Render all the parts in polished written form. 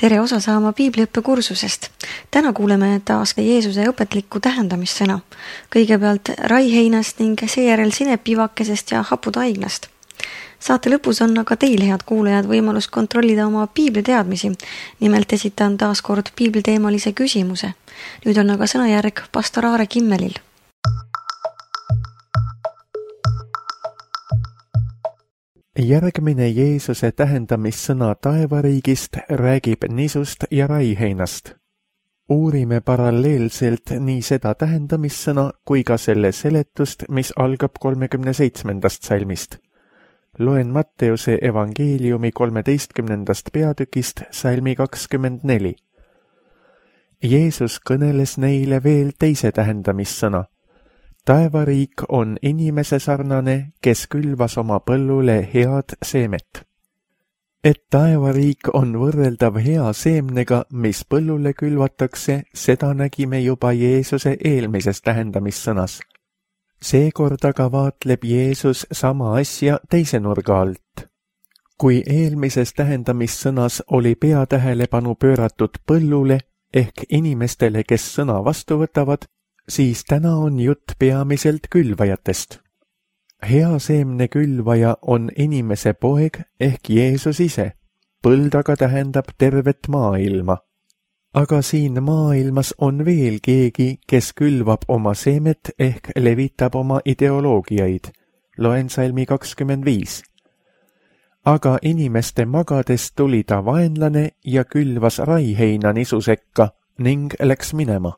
Tere osa saama piibliõppekursusest. Täna kuuleme taas ka Jeesuse õpetlikku tähendamissõna. Kõigepealt raiheinast ning seejärel sinepivakesest ja haputaignast. Saate lõpus on aga teil, head kuulajad, võimalus kontrollida oma piibliteadmisi. Nimelt esitan taas kord piibliteemalise küsimuse. Nüüd on aga sõnajärg pastor Aare Kimmelil. Järgmine Jeesuse tähendamissõna taevariigist räägib nisust ja raiheinast. Uurime paralleelselt nii seda tähendamissõna kui ka selle seletust, mis algab 37. salmist. Loen Matteuse evangeeliumi 13. peatükist salmi 24. Jeesus kõneles neile veel teise tähendamissõna. Taevariik on inimese sarnane, kes külvas oma põllule head seemet. Et taevariik on võrreldav hea seemnega, mis põllule külvatakse, seda nägime juba Jeesuse eelmises tähendamissõnas. Seekord aga vaatleb Jeesus sama asja teise nurga alt. Kui eelmises tähendamissõnas oli peatähelepanu pööratud põllule ehk inimestele, kes sõna vastu võtavad, siis täna on jutt peamiselt külvajatest. Hea seemne külvaja on inimese poeg ehk Jeesus ise. Põld aga tähendab tervet maailma. Aga siin maailmas on veel keegi, kes külvab oma seemet ehk levitab oma ideoloogiaid. Loen salmi 25. Aga inimeste magades tuli ta vaenlane ja külvas raiheina nisu sekka ning läks minema.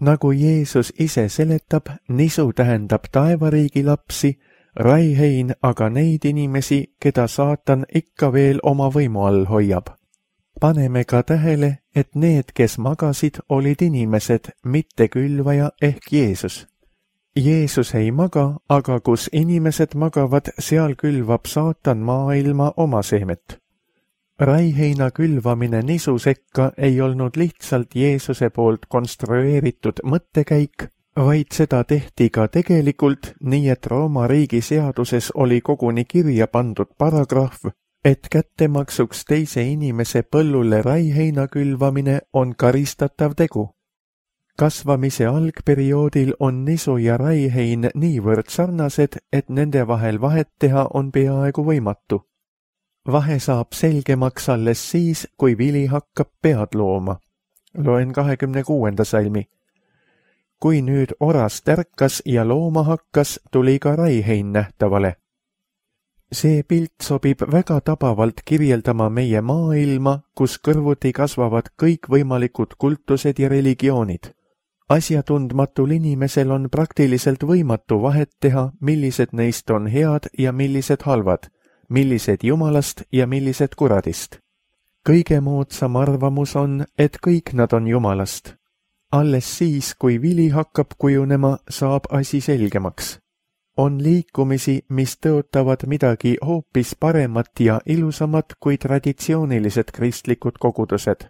Nagu Jeesus ise seletab, nisu tähendab taevariigi lapsi, raihein aga neid inimesi, keda saatan ikka veel oma võimu all hoiab. Paneme ka tähele, et need, kes magasid, olid inimesed, mitte külvaja ehk Jeesus. Jeesus ei maga, aga kus inimesed magavad, seal külvab saatan maailma oma seemet. Raiheina külvamine nisu sekka ei olnud lihtsalt Jeesuse poolt konstrueeritud mõttekäik, vaid seda tehti ka tegelikult, nii et Rooma riigi seaduses oli koguni kirja pandud paragrahv, et kättemaksuks teise inimese põllule raiheina külvamine on karistatav tegu. Kasvamise algperioodil on nisu ja raihein niivõrd sarnased, et nende vahel vahet teha on peaaegu võimatu. Vahe saab selgemaks alles siis, kui vili hakkab pead looma. Loen 26. salmi. Kui nüüd oras tärkas ja looma hakkas, tuli ka raihein nähtavale. See pilt sobib väga tabavalt kirjeldama meie maailma, kus kõrvuti kasvavad kõikvõimalikud kultused ja religioonid. Asjatundmatul inimesel on praktiliselt võimatu vahet teha, millised neist on head ja millised halvad, millised jumalast ja millised kuradist. Kõige moodsam arvamus on, et kõik nad on jumalast. Alles siis, kui vili hakkab kujunema, saab asi selgemaks. On liikumisi, mis tõotavad midagi hoopis paremat ja ilusamat kui traditsioonilised kristlikud kogudused.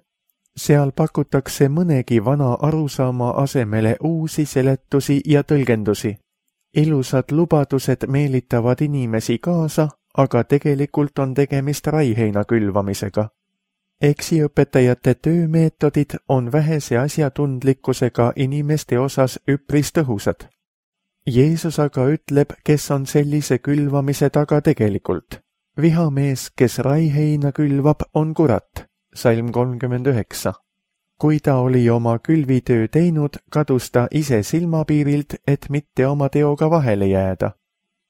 Seal pakutakse mõnegi vana arusaama asemele uusi seletusi ja tõlgendusi. Ilusad lubadused meelitavad inimesi kaasa, aga tegelikult on tegemist raiheina külvamisega. Eksiõpetajate töömeetodid on vähese asjatundlikkusega inimeste osas üpris tõhusad. Jeesus aga ütleb, kes on sellise külvamise taga tegelikult. Vihamees, kes raiheina külvab, on kurat. Salm 39. Kui ta oli oma külvitöö teinud, kadus ta ise silmapiirilt, et mitte oma teoga vahele jääda.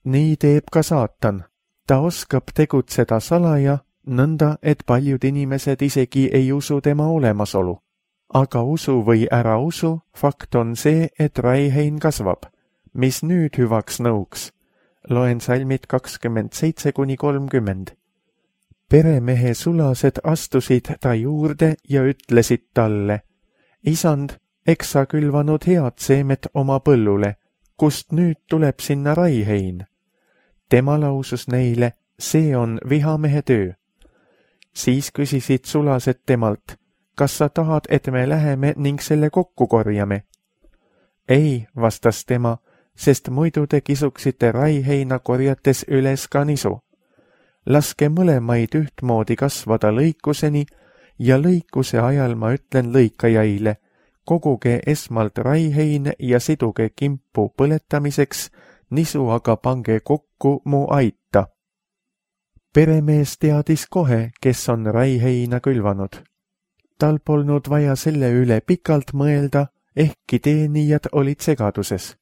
Nii teeb ka saatan. Ta oskab tegutseda salaja, nõnda, et paljud inimesed isegi ei usu tema olemasolu. Aga usu või ära usu, fakt on see, et raihein kasvab. Mis nüüd hüvaks nõuks? Loen salmid 27–30. Peremehe sulased astusid ta juurde ja ütlesid talle, Isand, eks sa külvanud head seemet oma põllule, kust nüüd tuleb sinna raihein? Tema lausus neile, see on vihamehe töö. Siis küsisid sulased temalt, kas sa tahad, et me läheme ning selle kokku korjame? Ei, vastas tema, sest muidu te kisuksite raiheina korjates üles ka nisu. Laske mõlemaid ühtmoodi kasvada lõikuseni ja lõikuse ajal ma ütlen lõikajaile, koguge esmalt raihein ja siduge kimpu põletamiseks, nisu aga pange kokku mu aita. Peremees teadis kohe, kes on raiheina külvanud. Tal polnud vaja selle üle pikalt mõelda, ehkki teenijad olid segaduses.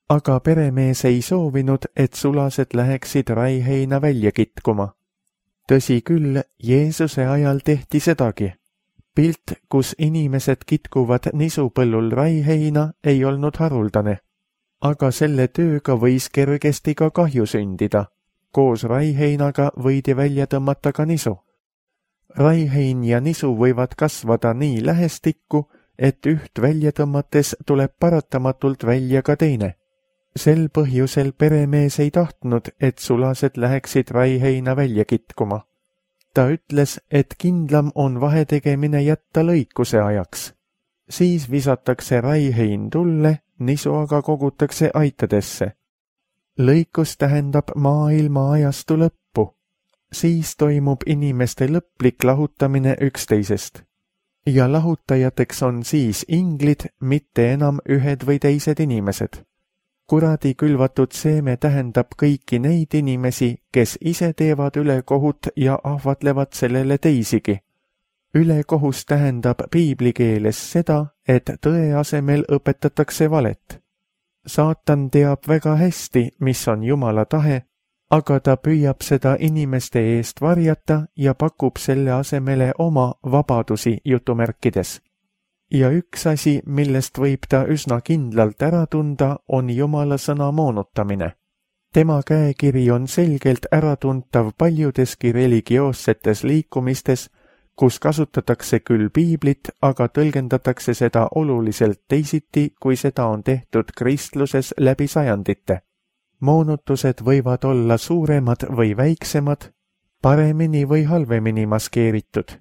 Aga peremees ei soovinud, et sulased läheksid raiheina välja kitkuma. Tõsi küll, Jeesuse ajal tehti sedagi. Pilt, kus inimesed kitkuvad nisupõllul raiheina, ei olnud haruldane. Aga selle tööga võis kergesti ka kahju sündida. Koos raiheinaga võidi välja tõmmata ka nisu. Raihein ja nisu võivad kasvada nii lähestikku, et üht välja tõmmates tuleb paratamatult välja ka teine. Sel põhjusel peremees ei tahtnud, et sulased läheksid raiheina välja kitkuma. Ta ütles, et kindlam on vahetegemine jätta lõikuse ajaks. Siis visatakse raihein tulle, nisu aga kogutakse aitadesse. Lõikus tähendab maailma ajastu lõppu. Siis toimub inimeste lõplik lahutamine üksteisest. Ja lahutajateks on siis inglid, mitte enam ühed või teised inimesed. Kuradi külvatud seeme tähendab kõiki neid inimesi, kes ise teevad ülekohut ja ahvatlevad sellele teisigi. Ülekohus tähendab piiblikeeles seda, et tõe asemel õpetatakse valet. Saatan teab väga hästi, mis on Jumala tahe, aga ta püüab seda inimeste eest varjata ja pakub selle asemele oma vabadusi jutumärkides. Ja üks asi, millest võib ta üsna kindlalt ära tunda, on Jumala sõna moonutamine. Tema käekiri on selgelt äratuntav paljudeski religioossetes liikumistes, kus kasutatakse küll piiblit, aga tõlgendatakse seda oluliselt teisiti, kui seda on tehtud kristluses läbi sajandite. Moonutused võivad olla suuremad või väiksemad, paremini või halvemini maskeeritud.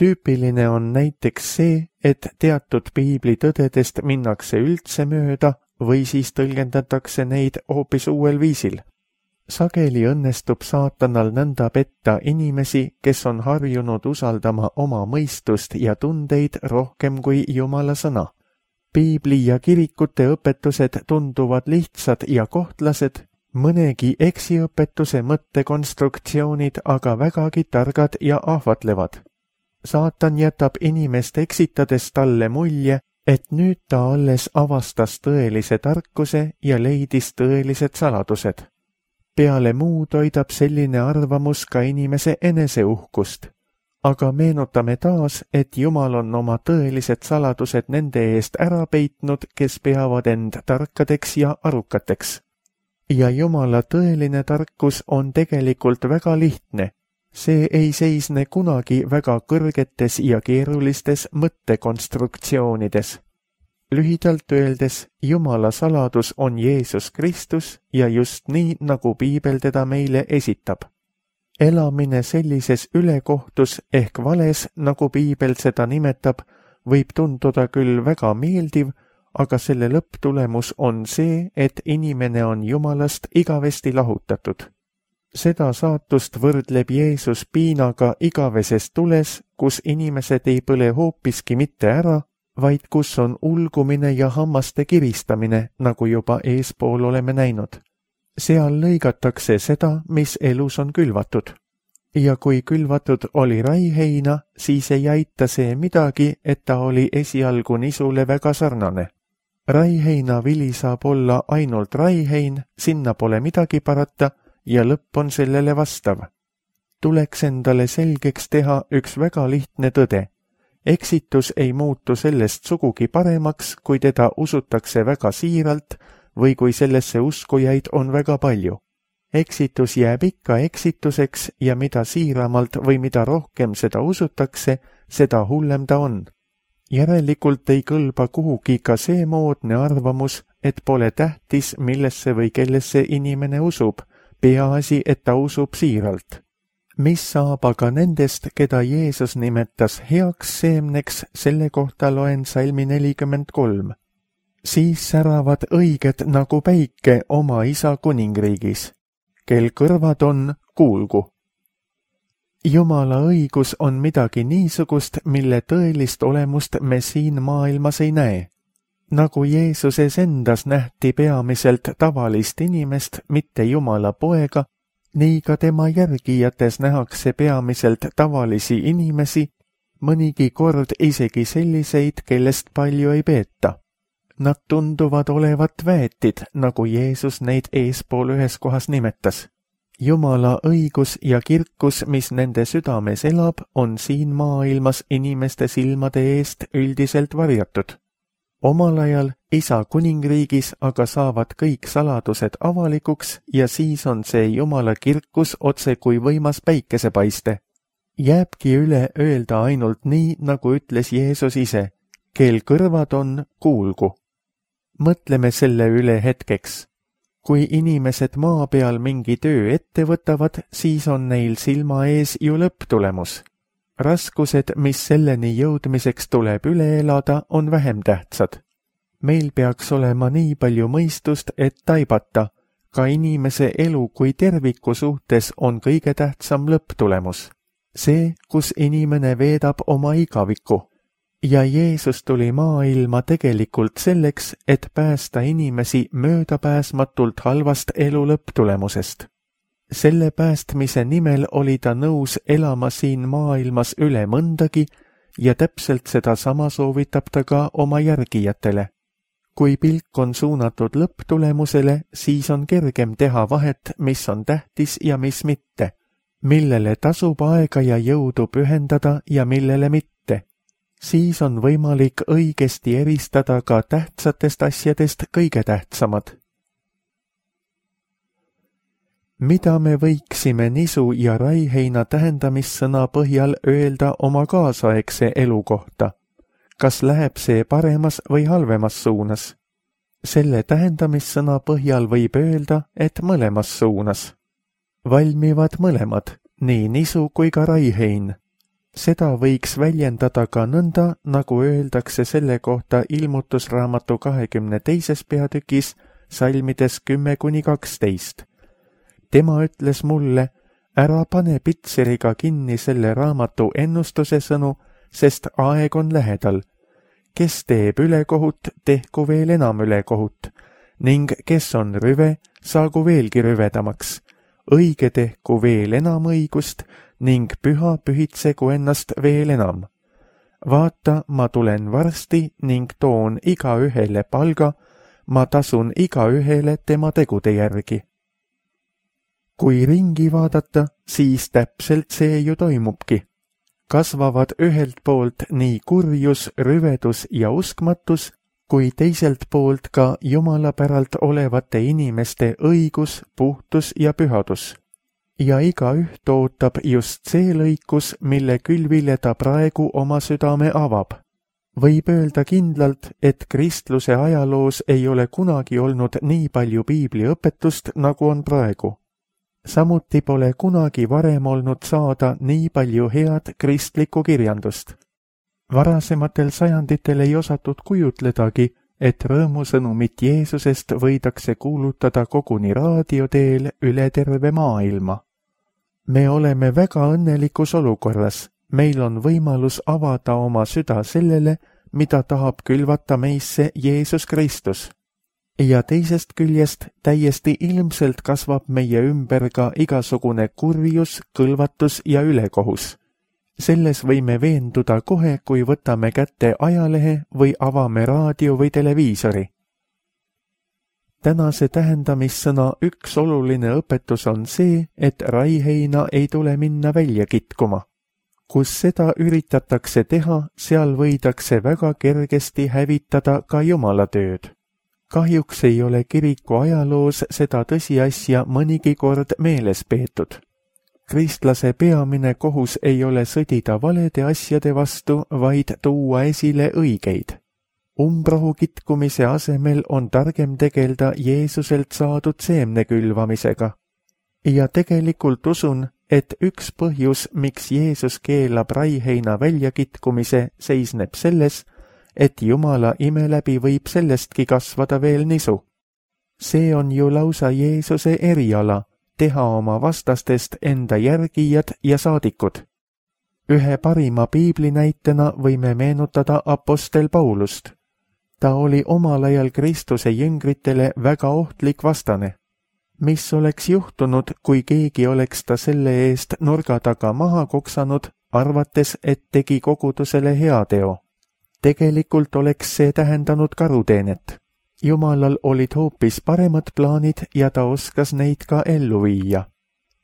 Tüüpiline on näiteks see, et teatud piibli tõdedest minnakse üldse mööda või siis tõlgendatakse neid hoopis uuel viisil. Sageli õnnestub saatanal nõnda petta inimesi, kes on harjunud usaldama oma mõistust ja tundeid rohkem kui Jumala sõna. Piibli ja kirikute õpetused tunduvad lihtsad ja kohtlased, mõnegi eksiõpetuse mõttekonstruktsioonid aga vägagi targad ja ahvatlevad. Saatan jätab inimest eksitades talle mulje, et nüüd ta alles avastas tõelise tarkuse ja leidis tõelised saladused. Peale muu toidab selline arvamus ka inimese eneseuhkust. Aga meenutame taas, et Jumal on oma tõelised saladused nende eest ära peitnud, kes peavad end tarkadeks ja arukateks. Ja Jumala tõeline tarkus on tegelikult väga lihtne. See ei seisne kunagi väga kõrgetes ja keerulistes mõttekonstruktsioonides. Lühidalt öeldes, Jumala saladus on Jeesus Kristus ja just nii, nagu Piibel teda meile esitab. Elamine sellises ülekohtus ehk vales, nagu Piibel seda nimetab, võib tunduda küll väga meeldiv, aga selle lõpptulemus on see, et inimene on Jumalast igavesti lahutatud. Seda saatust võrdleb Jeesus piinaga igaveses tules, kus inimesed ei põle hoopiski mitte ära, vaid kus on ulgumine ja hammaste kiristamine, nagu juba eespool oleme näinud. Seal lõigatakse seda, mis elus on külvatud. Ja kui külvatud oli raiheina, siis ei aita see midagi, et ta oli esialgu nisule väga sarnane. Raiheina vili saab olla ainult raihein, sinna pole midagi parata, ja lõpp on sellele vastav. Tuleks endale selgeks teha üks väga lihtne tõde. Eksitus ei muutu sellest sugugi paremaks, kui teda usutakse väga siiralt või kui sellesse uskujaid on väga palju. Eksitus jääb ikka eksituseks ja mida siiramalt või mida rohkem seda usutakse, seda hullem ta on. Järelikult ei kõlba kuhugi ka see moodne arvamus, et pole tähtis, millesse või kellesse inimene usub, peaasi, et ta usub siiralt. Mis saab aga nendest, keda Jeesus nimetas heaks seemneks, selle kohta loen salmi 43. Siis säravad õiged nagu päike oma isa kuningriigis. Kel kõrvad on, kuulgu. Jumala õigus on midagi niisugust, mille tõelist olemust me siin maailmas ei näe. Nagu Jeesuses endas nähti peamiselt tavalist inimest, mitte Jumala poega, nii ka tema järgijates nähakse peamiselt tavalisi inimesi, mõnigi kord isegi selliseid, kellest palju ei peeta. Nad tunduvad olevat väetid, nagu Jeesus neid eespool ühes kohas nimetas. Jumala õigus ja kirkus, mis nende südames elab, on siin maailmas inimeste silmade eest üldiselt varjatud. Omal ajal Isa kuningriigis aga saavad kõik saladused avalikuks ja siis on see Jumala kirkus otse kui võimas päikesepaiste. Jääbki üle öelda ainult nii, nagu ütles Jeesus ise, kel kõrvad on, kuulgu. Mõtleme selle üle hetkeks. Kui inimesed maa peal mingi töö ette võtavad, siis on neil silma ees ju lõpptulemus. Raskused, mis selleni jõudmiseks tuleb üle elada, on vähem tähtsad. Meil peaks olema nii palju mõistust, et taibata, ka inimese elu kui terviku suhtes on kõige tähtsam lõpptulemus. See, kus inimene veedab oma igaviku. Ja Jeesus tuli maailma tegelikult selleks, et päästa inimesi möödapääsmatult halvast elu lõpptulemusest. Selle päästmise nimel oli ta nõus elama siin maailmas üle mõndagi ja täpselt seda sama soovitab ta ka oma järgijatele. Kui pilk on suunatud lõpptulemusele, siis on kergem teha vahet, mis on tähtis ja mis mitte, millele tasub aega ja jõudu pühendada ja millele mitte. Siis on võimalik õigesti eristada ka tähtsatest asjadest kõige tähtsamad. Mida me võiksime nisu ja raiheina tähendamissõna põhjal öelda oma kaasaegse elu kohta? Kas läheb see paremas või halvemas suunas? Selle tähendamissõna põhjal võib öelda, et mõlemas suunas. Valmivad mõlemad, nii nisu kui ka raihein. Seda võiks väljendada ka nõnda, nagu öeldakse selle kohta Ilmutusraamatu 22. peatükis salmides 10-12. Tema ütles mulle, ära pane pitseriga kinni selle raamatu ennustuse sõnu, sest aeg on lähedal. Kes teeb ülekohut, tehku veel enam ülekohut, ning kes on rüve, saagu veelgi rüvedamaks. Õige tehku veel enam õigust ning püha pühitsegu ennast veel enam. Vaata, ma tulen varsti ning toon igaühele palga, ma tasun igaühele tema tegude järgi. Kui ringi vaadata, siis täpselt see ju toimubki. Kasvavad ühelt poolt nii kurjus, rüvedus ja uskmatus, kui teiselt poolt ka Jumala päralt olevate inimeste õigus, puhtus ja pühadus. Ja igaüht ootab just see lõikus, mille külvile ta praegu oma südame avab. Võib öelda kindlalt, et kristluse ajaloos ei ole kunagi olnud nii palju piibliõpetust, nagu on praegu. Samuti pole kunagi varem olnud saada nii palju head kristlikku kirjandust. Varasematel sajanditel ei osatud kujutledagi, et rõõmusõnumit Jeesusest võidakse kuulutada koguni raadio teel üle terve maailma. Me oleme väga õnnelikus olukorras, meil on võimalus avada oma süda sellele, mida tahab külvata meisse Jeesus Kristus. Ja teisest küljest täiesti ilmselt kasvab meie ümber ka igasugune kurjus, kõlvatus ja ülekohus. Selles võime veenduda kohe, kui võtame kätte ajalehe või avame raadio või televiisori. Tänase tähendamissõna üks oluline õpetus on see, et raiheina ei tule minna välja kitkuma. Kus seda üritatakse teha, seal võidakse väga kergesti hävitada ka Jumala tööd. Kahjuks ei ole kiriku ajaloos seda tõsiasja mõnigi kord meeles peetud. Kristlase peamine kohus ei ole sõdida valede asjade vastu, vaid tuua esile õigeid. Umbrohu kitkumise asemel on targem tegelda Jeesuselt saadud seemne külvamisega. Ja tegelikult usun, et üks põhjus, miks Jeesus keelab raiheina väljakitkumise, seisneb selles, et Jumala ime läbi võib sellestki kasvada veel nisu. See on ju lausa Jeesuse eriala, teha oma vastastest enda järgijad ja saadikud. Ühe parima piiblinäitena võime meenutada apostel Paulust. Ta oli omal ajal Kristuse jüngritele väga ohtlik vastane. Mis oleks juhtunud, kui keegi oleks ta selle eest nurga taga maha koksanud, arvates, et tegi kogudusele heateo? Tegelikult oleks see tähendanud karuteenet. Jumalal olid hoopis paremad plaanid ja ta oskas neid ka ellu viia.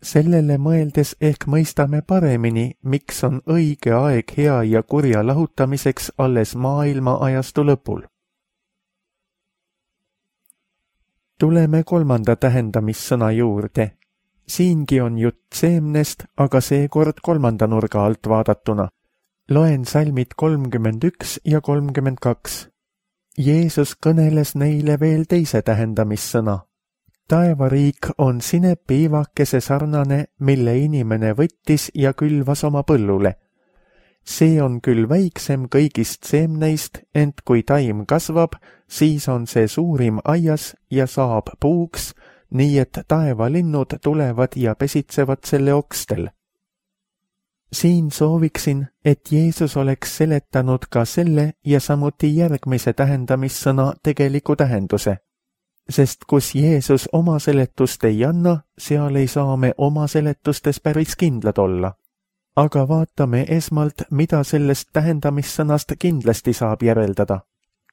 Sellele mõeldes ehk mõistame paremini, miks on õige aeg hea ja kurja lahutamiseks alles maailma ajastu lõpul. Tuleme kolmanda tähendamissõna juurde. Siingi on jutt seemnest, aga seekord kolmanda nurga alt vaadatuna. Loen salmid 31 ja 32. Jeesus kõneles neile veel teise tähendamissõna. Taevariik on sinepiivakese sarnane, mille inimene võttis ja külvas oma põllule. See on küll väiksem kõigist seemneist, ent kui taim kasvab, siis on see suurim aias ja saab puuks, nii et taevalinnud tulevad ja pesitsevad selle okstel. Siin sooviksin, et Jeesus oleks seletanud ka selle ja samuti järgmise tähendamissõna tegeliku tähenduse. Sest kus Jeesus oma seletust ei anna, seal ei saa me oma seletustes päris kindlad olla. Aga vaatame esmalt, mida sellest tähendamissõnast kindlasti saab järeldada.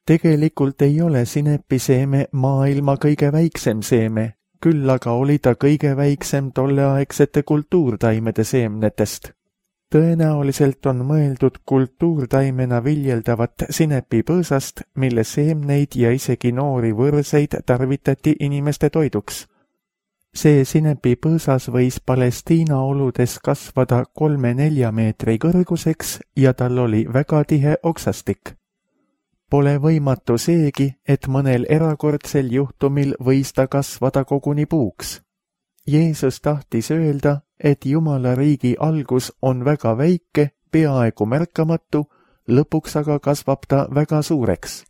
Tegelikult ei ole sinepiseeme maailma kõige väiksem seeme, küll aga oli ta kõige väiksem tolleaegsete kultuurtaimede seemnetest. Tõenäoliselt on mõeldud kultuurtaimena viljeldavat sinepipõõsast, mille seemneid ja isegi noori võrseid tarvitati inimeste toiduks. See sinepipõõsas võis Palestiina oludes kasvada 3-4 meetri kõrguseks ja tal oli väga tihe oksastik. Pole võimatu seegi, et mõnel erakordsel juhtumil võis ta kasvada koguni puuks. Jeesus tahtis öelda, et Jumala riigi algus on väga väike, peaaegu märkamatu, lõpuks aga kasvab ta väga suureks.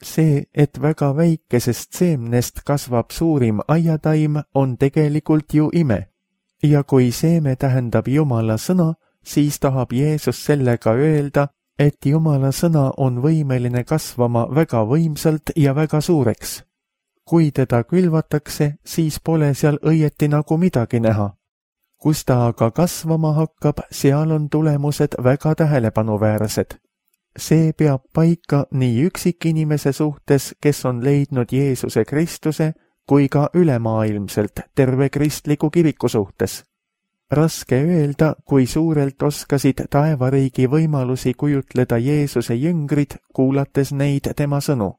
See, et väga väikesest seemnest kasvab suurim aiataim, on tegelikult ju ime. Ja kui seeme tähendab Jumala sõna, siis tahab Jeesus sellega öelda, et Jumala sõna on võimeline kasvama väga võimsalt ja väga suureks. Kui teda külvatakse, siis pole seal õieti nagu midagi näha. Kus ta aga kasvama hakkab, seal on tulemused väga tähelepanuväärsed. See peab paika nii üksikinimese suhtes, kes on leidnud Jeesuse Kristuse, kui ka ülemaailmselt terve kristliku kiriku suhtes. Raske öelda, kui suurelt oskasid taevariigi võimalusi kujutleda Jeesuse jüngrid, kuulates neid tema sõnu.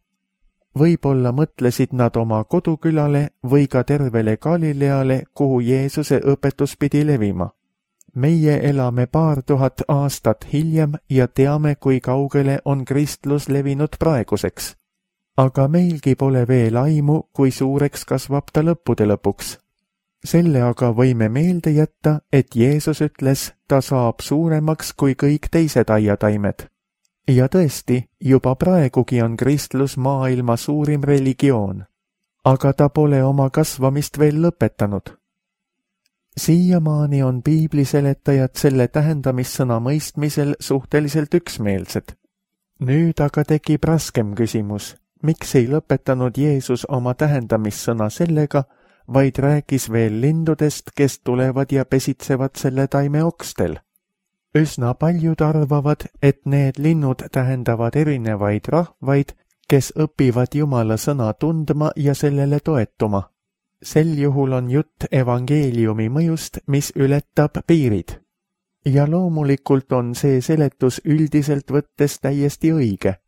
Võib-olla mõtlesid nad oma kodukülale või ka tervele Galileale, kuhu Jeesuse õpetus pidi levima. Meie elame paar tuhat aastat hiljem ja teame, kui kaugele on kristlus levinud praeguseks. Aga meilgi pole veel aimu, kui suureks kasvab ta lõppude lõpuks. Selle aga võime meelde jätta, et Jeesus ütles, ta saab suuremaks kui kõik teised aiataimed. Ja tõesti, juba praegugi on kristlus maailma suurim religioon. Aga ta pole oma kasvamist veel lõpetanud. Siiamaani on piibliseletajad selle tähendamissõna mõistmisel suhteliselt üksmeelsed. Nüüd aga tekib raskem küsimus, miks ei lõpetanud Jeesus oma tähendamissõna sellega, vaid rääkis veel lindudest, kes tulevad ja pesitsevad selle taime okstel. Üsna paljud arvavad, et need linnud tähendavad erinevaid rahvaid, kes õpivad Jumala sõna tundma ja sellele toetuma. Sel juhul on jutt evangeeliumi mõjust, mis ületab piirid. Ja loomulikult on see seletus üldiselt võttes täiesti õige.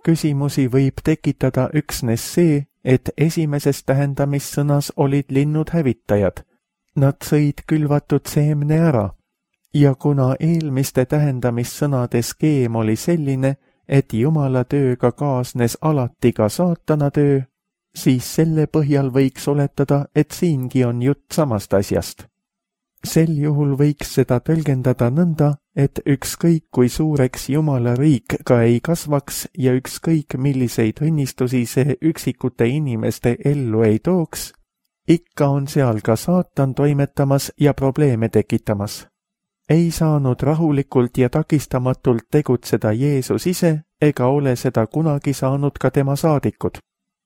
Küsimusi võib tekitada üksnes see, et esimeses tähendamissõnas olid linnud hävitajad. Nad sõid külvatud seemne ära. Ja kuna eelmiste tähendamissõnade skeem oli selline, et Jumala tööga kaasnes alati ka saatana töö, siis selle põhjal võiks oletada, et siingi on jutt samast asjast. Sel juhul võiks seda tõlgendada nõnda, et ükskõik kui suureks Jumala riik ka ei kasvaks ja ükskõik milliseid õnnistusi see üksikute inimeste ellu ei tooks, Ikka on seal ka saatan toimetamas ja probleeme tekitamas. Ei saanud rahulikult ja takistamatult tegutseda Jeesus ise ega ole seda kunagi saanud ka tema saadikud.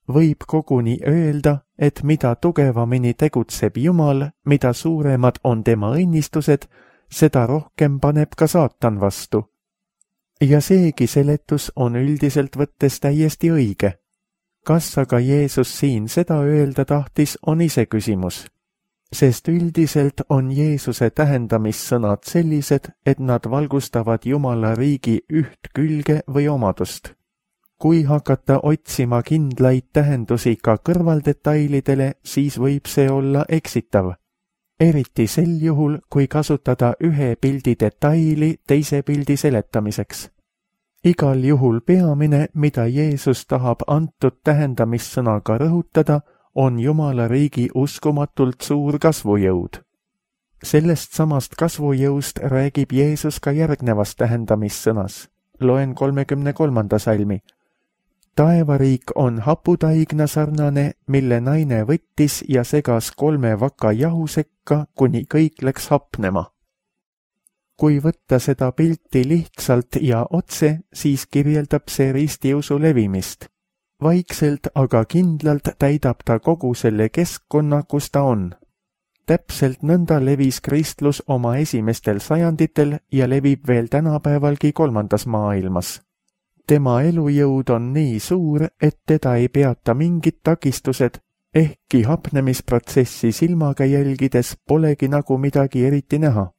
Võib koguni öelda, et mida tugevamini tegutseb Jumal, mida suuremad on tema õnnistused, seda rohkem paneb ka saatan vastu. Ja seegi seletus on üldiselt võttes täiesti õige. Kas aga Jeesus siin seda öelda tahtis, on iseküsimus. Sest üldiselt on Jeesuse tähendamissõnad sellised, et nad valgustavad Jumala riigi üht külge või omadust. Kui hakata otsima kindlaid tähendusi ka kõrvaldetailidele, siis võib see olla eksitav. Eriti sel juhul, kui kasutada ühe pildi detaili teise pildi seletamiseks. Igal juhul peamine, mida Jeesus tahab antud tähendamissõnaga rõhutada, on Jumala riigi uskumatult suur kasvujõud. Sellest samast kasvujõust räägib Jeesus ka järgnevas tähendamissõnas. Loen 33. salmi. Taevariik on haputaigna sarnane, mille naine võttis ja segas 3 vaka jahu sekka, kuni kõik läks hapnema. Kui võtta seda pilti lihtsalt ja otse, siis kirjeldab see ristiusu levimist. Vaikselt, aga kindlalt täidab ta kogu selle keskkonna, kus ta on. Täpselt nõnda levis kristlus oma esimestel sajanditel ja levib veel tänapäevalgi 3. maailmas. Tema elujõud on nii suur, et teda ei peata mingid takistused, ehkki hapnemisprotsessi silmaga jälgides polegi nagu midagi eriti näha.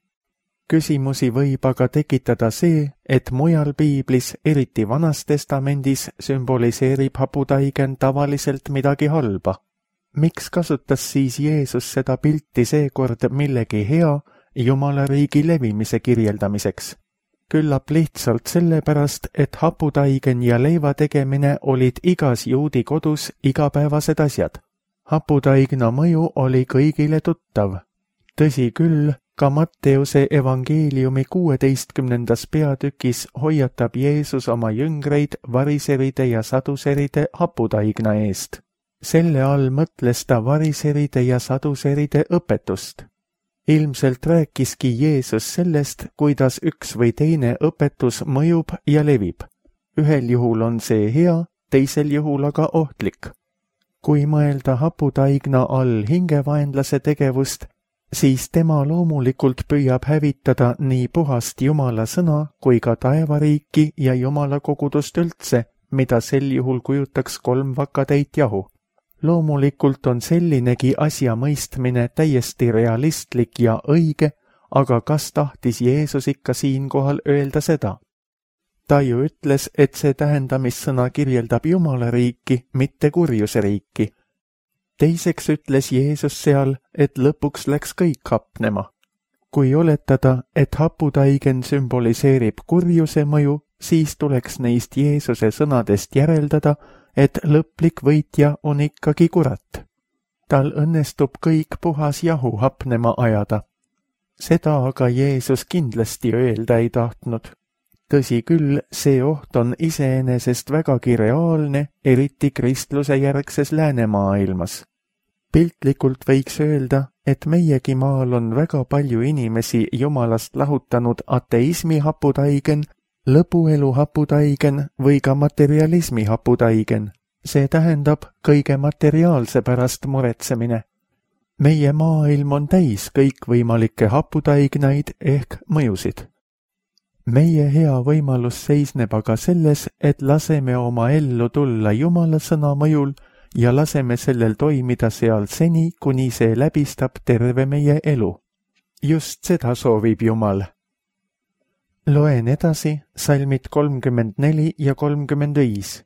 Küsimusi võib aga tekitada see, et mujal piiblis, eriti Vanas Testamendis, sümboliseerib haputaigen tavaliselt midagi halba. Miks kasutas siis Jeesus seda pilti seekord millegi hea Jumala riigi levimise kirjeldamiseks? Küllap lihtsalt sellepärast, et haputaigen ja leiva tegemine olid igas juudi kodus igapäevased asjad. Haputaigna mõju oli kõigile tuttav. Tõsi küll, ka Matteuse evangeeliumi 16. peatükis hoiatab Jeesus oma jüngreid variseride ja saduseride haputaigna eest. Selle all mõtles ta variseride ja saduseride õpetust. Ilmselt rääkiski Jeesus sellest, kuidas üks või teine õpetus mõjub ja levib. Ühel juhul on see hea, teisel juhul aga ohtlik. Kui mõelda haputaigna all hingevaenlase tegevust, siis tema loomulikult püüab hävitada nii puhast Jumala sõna kui ka taevariiki ja Jumala kogudust üldse, mida sel juhul kujutaks 3 vakatäit jahu. Loomulikult on sellinegi asja mõistmine täiesti realistlik ja õige, aga kas tahtis Jeesus ikka siinkohal öelda seda? Ta ju ütles, et see tähendamissõna kirjeldab Jumala riiki, mitte kurjuse riiki. Teiseks ütles Jeesus seal, et lõpuks läks kõik hapnema. Kui oletada, et haputaigen sümboliseerib kurjuse mõju, siis tuleks neist Jeesuse sõnadest järeldada, et lõplik võitja on ikkagi kurat. Tal õnnestub kõik puhas jahu hapnema ajada. Seda aga Jeesus kindlasti öelda ei tahtnud. Tõsi küll, see oht on iseenesest vägagi reaalne, eriti kristluse järgses läänemaailmas. Piltlikult võiks öelda, et meiegi maal on väga palju inimesi Jumalast lahutanud ateismi haputaigen, lõpuelu haputaigen või ka materialismi haputaigen. See tähendab kõige materiaalse pärast muretsemine. Meie maailm on täis kõikvõimalikke haputaignaid ehk mõjusid. Meie hea võimalus seisneb aga selles, et laseme oma ellu tulla Jumala sõna mõjul ja laseme sellel toimida seal seni, kuni see läbistab terve meie elu. Just seda soovib Jumal. Loen edasi salmid 34 ja 35.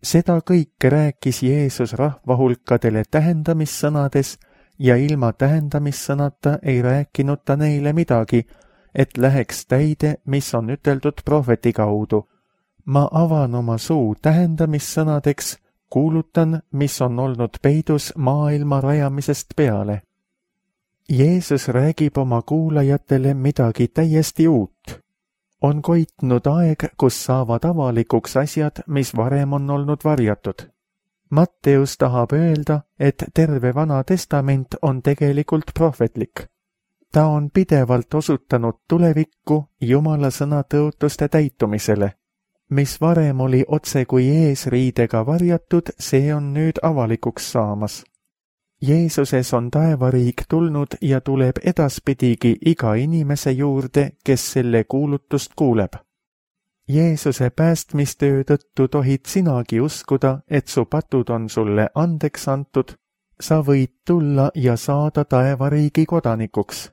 Seda kõike rääkis Jeesus rahvahulkadele tähendamissõnades ja ilma tähendamissõnata ei rääkinud ta neile midagi, et läheks täide, mis on üteldud prohveti kaudu. Ma avan oma suu tähendamissõnadeks, kuulutan, mis on olnud peidus maailma rajamisest peale. Jeesus räägib oma kuulajatele midagi täiesti uut. On koitnud aeg, kus saavad avalikuks asjad, mis varem on olnud varjatud. Matteus tahab öelda, et terve Vana Testament on tegelikult prohvetlik. Ta on pidevalt osutanud tulevikku Jumala sõna tõotuste täitumisele. Mis varem oli otse kui eesriidega varjatud, see on nüüd avalikuks saamas. Jeesuses on taevariik tulnud ja tuleb edaspidigi iga inimese juurde, kes selle kuulutust kuuleb. Jeesuse päästmistöö tõttu tohid sinagi uskuda, et su patud on sulle andeks antud, sa võid tulla ja saada taevariigi kodanikuks.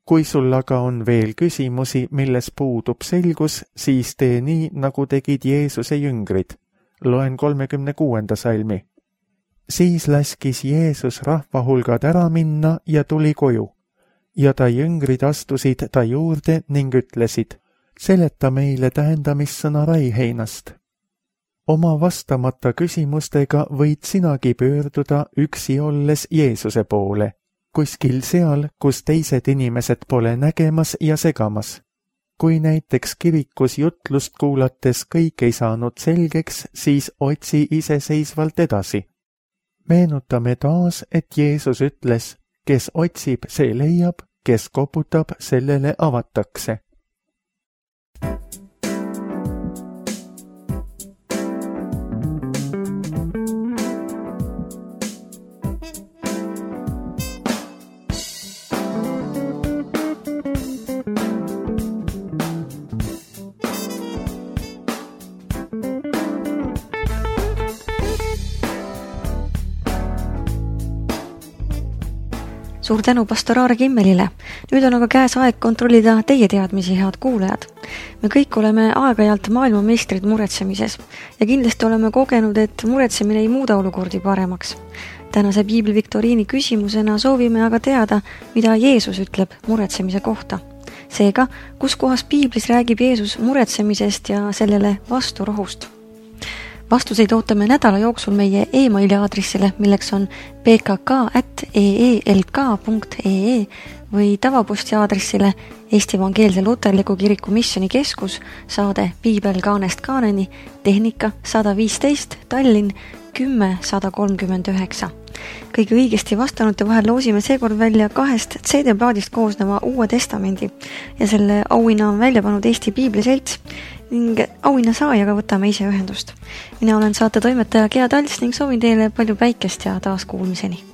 Kui sul aga on veel küsimusi, milles puudub selgus, siis tee nii, nagu tegid Jeesuse jüngrid. Loen 36. salmi. Siis laskis Jeesus rahvahulgad ära minna ja tuli koju. Ja ta jüngrid astusid ta juurde ning ütlesid, seleta meile tähendamissõna raiheinast. Oma vastamata küsimustega võid sinagi pöörduda üksi olles Jeesuse poole. Kuskil seal, kus teised inimesed pole nägemas ja segamas. Kui näiteks kirikus jutlust kuulates kõik ei saanud selgeks, siis otsi iseseisvalt edasi. Meenutame taas, et Jeesus ütles, kes otsib, see leiab, kes koputab, sellele avatakse. Suur tänu pastor Aare Kimmelile. Nüüd on aga käes aeg kontrollida teie teadmisi, head kuulajad. Me kõik oleme aeg-ajalt maailmameistrid muretsemises ja kindlasti oleme kogenud, et muretsemine ei muuda olukordi paremaks. Tänase Piibli viktoriini küsimusena soovime aga teada, mida Jeesus ütleb muretsemise kohta. Seega, kus kohas Piiblis räägib Jeesus muretsemisest ja sellele vasturohust? Vastuseid ootame nädala jooksul meie e-maili aadressile, milleks on pkk@eelk.ee või tavaposti aadressile Eesti Evangeelse Luterliku Kiriku Missioonikeskus, saade Piibel kaanest kaaneni, tehnika 115, Tallinn 10-139. Kõige õigesti vastanute vahel loosime seekord välja 2 CD-plaadist koosneva Uue Testamendi ja selle auhinna on välja pannud Eesti Piibliselts ning auhinna saajaga võtame ise ühendust. Mina olen saate toimetaja Gea Talts ning soovin teile palju päikest ja taas kuulmiseni.